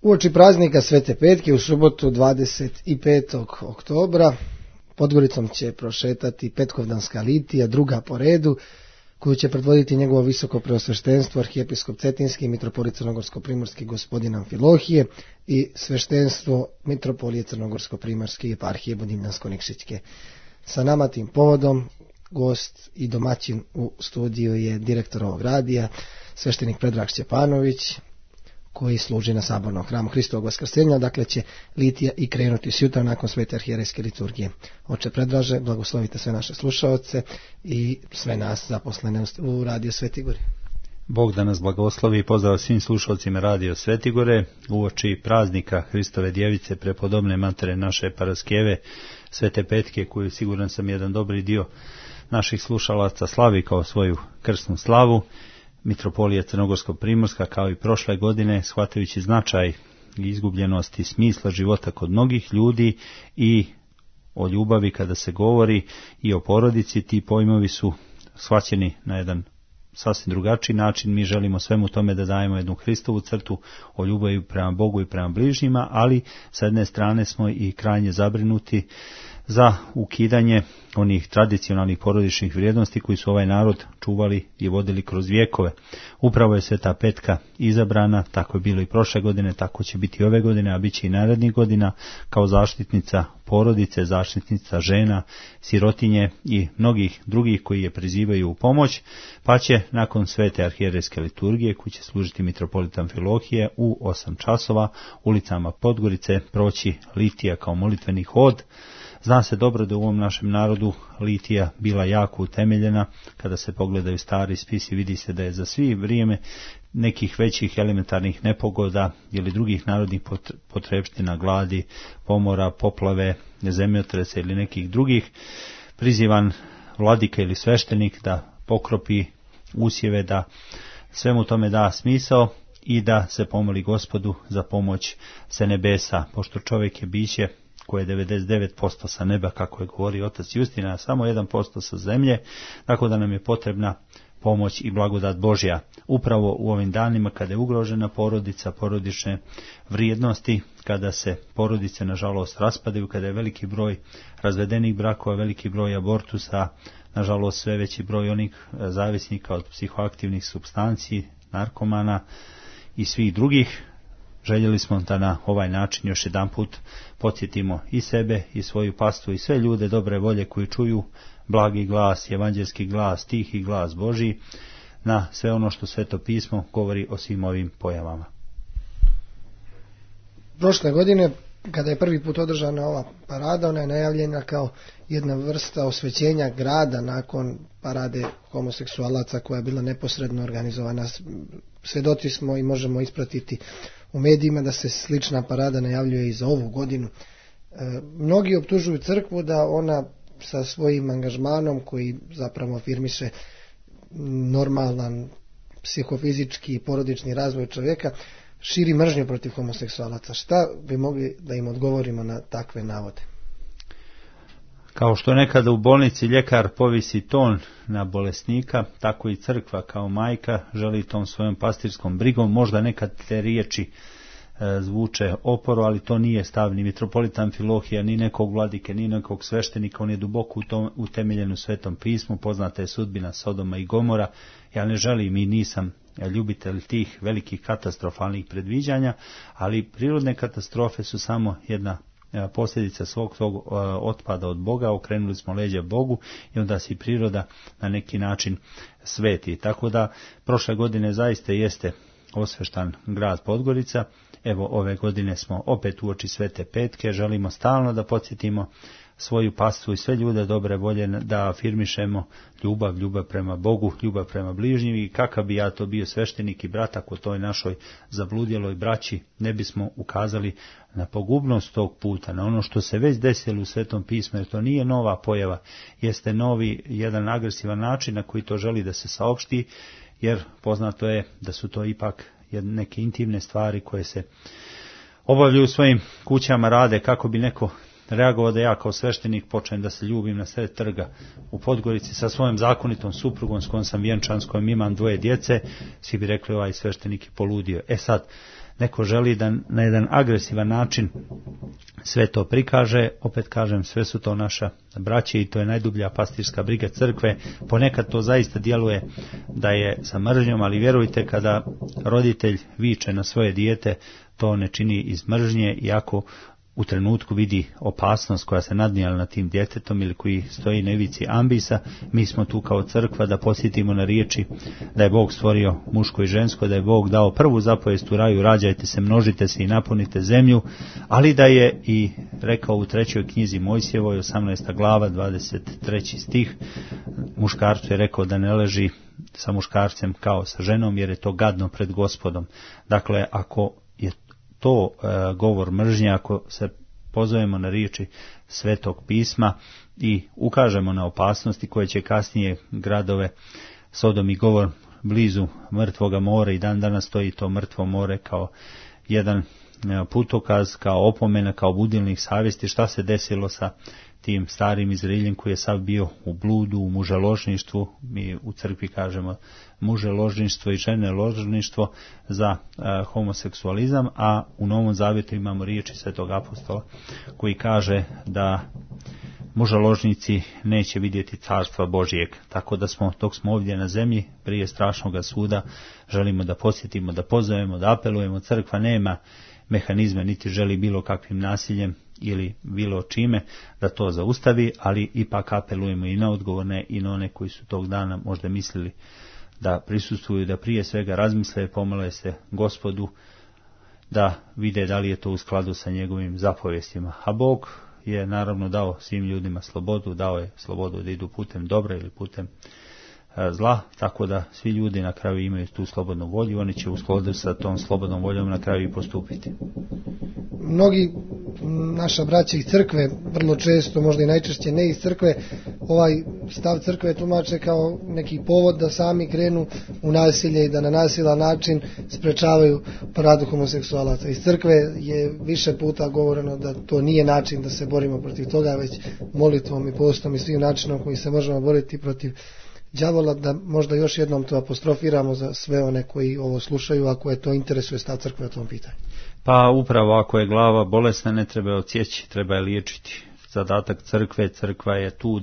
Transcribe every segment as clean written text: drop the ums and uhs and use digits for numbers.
Uoči praznika Svete Petke u subotu 25. oktobra Podgoricom će prošetati petkovdanska litija, druga po redu, koju će predvoditi njegovo visoko preosveštenstvo arhijepiskop Cetinski, mitropolit Crnogorsko-primorski gospodin Amfilohije i sveštenstvo mitropolije Crnogorsko-primorske eparhije Budimljansko-Nikšićke. Sa nama tim povodom gost i domaćin u studiju je direktor ovog radija, sveštenik Predrag Šćepanović, koji služi na sabornom hramu Hristovog vaskrsenja, dakle će litija i krenuti sjutra nakon svete arhijerejske liturgije. Oče Predraže, blagoslovite sve naše slušaoce i sve nas zaposlene u Radio Svetigore. Bog da nas blagoslovi i pozdrav svim slušalcima Radio Svetigore uoči praznika Hristove djevice prepodobne matere naše paraskeve Svete Petke, koju siguran sam jedan dobri dio naših slušalaca slavi kao svoju krsnu slavu. Mitropolija Crnogorsko-primorska kao i prošle godine, shvatajući značaj i izgubljenosti smisla života kod mnogih ljudi i o ljubavi kada se govori i o porodici, ti pojmovi su shvaćeni na jedan sasvim drugačiji način. Mi želimo svemu tome da dajemo jednu Hristovu crtu o ljubavi prema Bogu i prema bližnjima, ali sa jedne strane smo i krajnje zabrinuti za ukidanje onih tradicionalnih porodičnih vrijednosti koji su ovaj narod čuvali i vodili kroz vjekove. Upravo je Sveta Petka izabrana, tako je bilo i prošle godine, tako će biti ove godine, a bit će i narednih godina, kao zaštitnica porodice, zaštitnica žena, sirotinje i mnogih drugih koji je prizivaju u pomoć, pa će nakon svete arhijerejske liturgije, koji će služiti mitropolit Amfilohije u 8 časova, ulicama Podgorice proći litija kao molitveni hod. Zna se dobro da u ovom našem narodu litija bila jako utemeljena. Kada se pogledaju stari spisi, vidi se da je za svi vrijeme nekih većih elementarnih nepogoda ili drugih narodnih potrepština, gladi, pomora, poplave, zemljotresa ili nekih drugih, prizivan vladika ili sveštenik da pokropi usjeve, da svemu tome da smisao i da se pomoli Gospodu za pomoć sa nebesa, pošto čovjek je biće koje je 99% sa neba, kako je govorio otac Justina, a samo 1% sa zemlje, tako da nam je potrebna pomoć i blagodat Božja. Upravo u ovim danima kada je ugrožena porodica, porodične vrijednosti, kada se porodice nažalost raspadaju, kada je veliki broj razvedenih brakova, veliki broj abortusa, nažalost sve veći broj onih zavisnika od psihoaktivnih supstanci, narkomana i svih drugih. Željeli smo da na ovaj način još jedanput podsjetimo i sebe i svoju pastu i sve ljude dobre volje koji čuju blagi glas, evanđelski glas, tihi glas Božji, na sve ono što Sveto pismo govori o svim ovim pojavama. Prošle godine, kada je prvi put održana ova parada, ona je najavljena kao jedna vrsta osvećenja grada nakon parade homoseksualaca koja je bila neposredno organizovana. Svedoci smo i možemo ispratiti u medijima da se slična parada najavljuje i za ovu godinu. Mnogi optužuju crkvu da ona sa svojim angažmanom, koji zapravo afirmiše normalan psihofizički i porodični razvoj čovjeka, širi mržnju protiv homoseksualaca. Šta bi mogli da im odgovorimo na takve navode? Kao što nekada u bolnici ljekar povisi ton na bolesnika, tako i crkva kao majka želi tom svojom pastirskom brigom. Možda nekad te riječi zvuče oporo, ali to nije stav ni mitropolita Amfilohija, ni nekog vladike, ni nekog sveštenika. On je duboko utemeljen u Svetom pismu. Poznata je sudbina Sodoma i Gomora. Ja ne želim i nisam ljubitelj tih velikih katastrofalnih predviđanja, ali prirodne katastrofe su samo jedna posljedica svog tog otpada od Boga. Okrenuli smo leđa Bogu i onda se priroda na neki način sveti. Tako da prošle godine zaista jeste osveštan grad Podgorica. Evo ove godine smo opet uoči Svete Petke. Želimo stalno da podsjetimo svoju pastu i sve ljude dobre volje da afirmišemo ljubav prema Bogu, ljubav prema bližnjim. I kakav bi ja to bio sveštenik i brat ako toj našoj zabludjeloj braći ne bismo ukazali na pogubnost tog puta, na ono što se već desilo u Svetom pismu, jer to nije nova pojava, jeste novi jedan agresivan način na koji to želi da se saopšti, jer poznato je da su to ipak neke intimne stvari koje se obavljaju u svojim kućama, rade kako bi neko reagovao da ja kao sveštenik počnem da se ljubim na sred trga u Podgorici sa svojom zakonitom suprugom s kojom sam vjenčan, s kojom imam 2 djece, svi bi rekli ovaj sveštenik je poludio. Sad, neko želi da na jedan agresivan način sve to prikaže, opet kažem, sve su to naša braća i to je najdublja pastirska briga crkve. Ponekad to zaista djeluje da je sa mržnjom, ali vjerujte, kada roditelj viče na svoje dijete, to ne čini iz mržnje, iako u trenutku vidi opasnost koja se nadnijala na tim djetetom ili koji stoji na ivici ambisa. Mi smo tu kao crkva da podsjetimo na riječi da je Bog stvorio muško i žensko, da je Bog dao prvu zapovijest u raju, rađajte se, množite se i napunite zemlju, ali da je i rekao u 3. knjizi Mojsijevoj, 18. glava, 23. stih, muškarcu je rekao da ne leži sa muškarcem kao sa ženom, jer je to gadno pred Gospodom. Dakle, ako je to govor mržnje, ako se pozovemo na riječi Svetog pisma i ukažemo na opasnosti koje će kasnije gradove Sodom i Gomor blizu mrtvoga mora, i dan danas stoji to mrtvo more kao jedan putokaz, kao opomena, kao budilnik savjesti šta se desilo sa tim starim Izraeljem koji je sav bio u bludu, u muželožništvu. Mi u crkvi kažemo muželožništvo i ženeložništvo za homoseksualizam, a u Novom Zavjetu imamo riječi Svetog apostola koji kaže da muželožnici neće vidjeti carstva Božijeg. Tako da smo, dok smo ovdje na zemlji, prije strašnog suda, želimo da posjetimo, da pozovemo, da apelujemo. Crkva nema mehanizme, niti želi bilo kakvim nasiljem ili bilo čime da to zaustavi, ali ipak apelujemo i na odgovorne i na one koji su tog dana možda mislili da prisustvuju, da prije svega razmisle, pomole se Gospodu, da vide da li je to u skladu sa njegovim zapovjestima. A Bog je naravno dao svim ljudima slobodu, dao je slobodu da idu putem dobra ili putem zla, tako da svi ljudi na kraju imaju tu slobodnu volju, oni će u skladu sa tom slobodnom voljom na kraju i postupiti. Mnogi naša braća iz crkve, vrlo često, možda i najčešće ne iz crkve, ovaj stav crkve tumače kao neki povod da sami krenu u nasilje i da na nasilan način sprečavaju paradu homoseksualaca. Iz crkve je više puta govoreno da to nije način da se borimo protiv toga, već molitvom i postom i svim načinom koji se možemo boriti protiv đavola, da možda još jednom to apostrofiramo za sve one koji ovo slušaju, ako je to interesuje stav crkve o tom pitanju. Pa upravo ako je glava bolesna, ne treba je odsjeći, treba je liječiti. Zadatak crkve, crkva je tu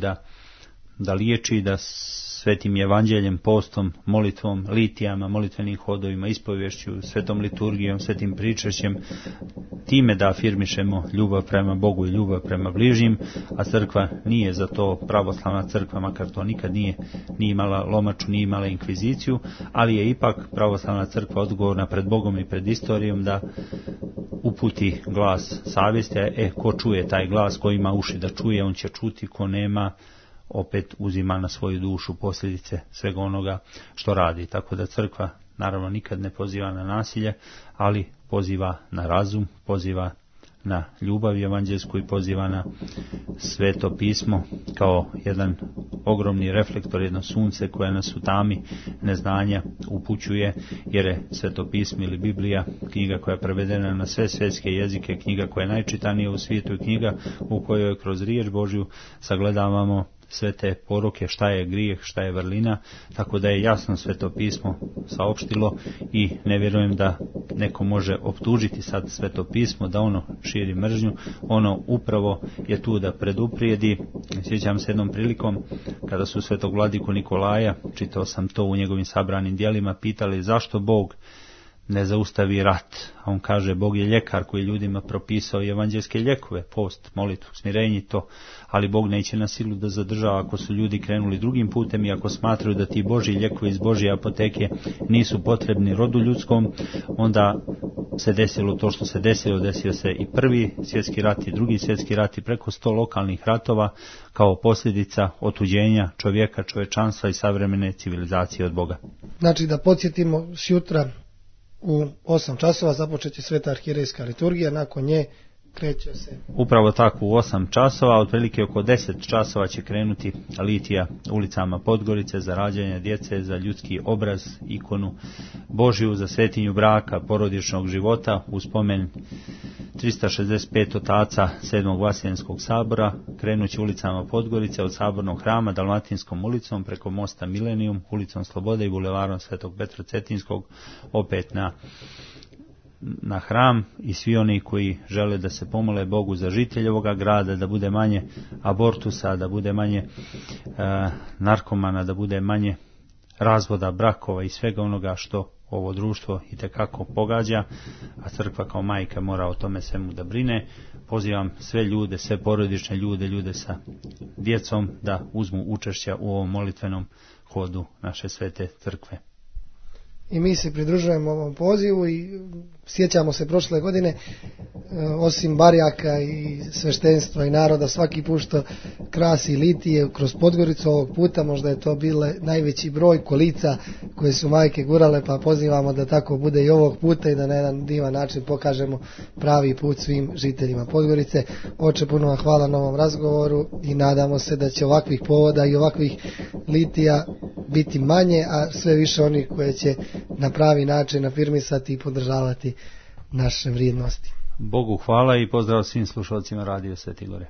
da liječi, da svetim evanđeljem, postom, molitvom, litijama, molitvenim hodovima, ispovješću, svetom liturgijom, svetim pričešćem, time da afirmišemo ljubav prema Bogu i ljubav prema bližnjim, a crkva nije za to pravoslavna crkva, makar to nikad nije imala lomaču, nije imala inkviziciju, ali je ipak pravoslavna crkva odgovorna pred Bogom i pred istorijom da uputi glas savjesti, ko čuje taj glas, ko ima uši da čuje, on će čuti, ko nema, opet uzima na svoju dušu posljedice svega onoga što radi. Tako da crkva naravno nikad ne poziva na nasilje, ali poziva na razum, poziva na ljubav evanđelsku i poziva na Sveto pismo kao jedan ogromni reflektor, jedno sunce koje nas u tami neznanja upućuje, jer je Sveto pismo ili Biblija knjiga koja je prevedena na sve svjetske jezike, knjiga koja je najčitanija u svijetu i knjiga u kojoj kroz riječ Božju sagledavamo sve te poruke, šta je grijeh, šta je vrlina, tako da je jasno Sveto pismo saopštilo i ne vjerujem da neko može optužiti sad Sveto pismo da ono širi mržnju. Ono upravo je tu da preduprijedi. Sjećam se jednom prilikom kada su Svetog vladiku Nikolaja, čitao sam to u njegovim sabranim djelima, pitali zašto Bog ne zaustavi rat. A on kaže, Bog je ljekar koji ljudima propisao evanđelske lijekove, post, molitvu, smirenje, to, ali Bog neće na silu da zadržava. Ako su ljudi krenuli drugim putem i ako smatraju da ti Božji lijekovi iz Božje apoteke nisu potrebni rodu ljudskom, onda se desilo to što se desilo. Desio se i prvi svjetski rat i drugi svjetski rat i preko 100 lokalnih ratova kao posljedica otuđenja čovjeka, čovječanstva i savremene civilizacije od Boga. Znači da podsjetimo, sjutra u 8 časova započet će sveta arhijerejska liturgija, nakon nje kreće se. Upravo tako, u 8 časova, otprilike oko 10 časova će krenuti litija ulicama Podgorice za rađanje djece, za ljudski obraz, ikonu Božju, za svetinju braka, porodičnog života, u spomen 365 otaca 7. Vaseljenskog sabora krenući ulicama Podgorice od Sabornog hrama, Dalmatinskom ulicom, preko mosta Milenijum, ulicom Slobode i bulevarom Svetog Petra Cetinskog, opet na hram, i svi oni koji žele da se pomole Bogu za žitelje ovoga grada, da bude manje abortusa, da bude manje narkomana, da bude manje razvoda brakova i svega onoga što ovo društvo itekako pogađa, a crkva kao majka mora o tome svemu da brine. Pozivam sve ljude, sve porodične ljude, ljude sa djecom da uzmu učešća u ovom molitvenom hodu naše svete crkve. I mi se pridružujemo ovom pozivu i sjećamo se prošle godine, osim barjaka i sveštenstva i naroda, svaki put što krasi litije kroz Podgoricu, ovog puta možda je to bile najveći broj kolica koje su majke gurale, pa pozivamo da tako bude i ovog puta i da na jedan divan način pokažemo pravi put svim žiteljima Podgorice. Oče, puno vam hvala na ovom razgovoru i nadamo se da će ovakvih povoda i ovakvih litija biti manje, a sve više onih koje će na pravi način afirmisati i podržavati naše vrijednosti. Bogu hvala i pozdrav svim slušalcima Radio Sveti Gore.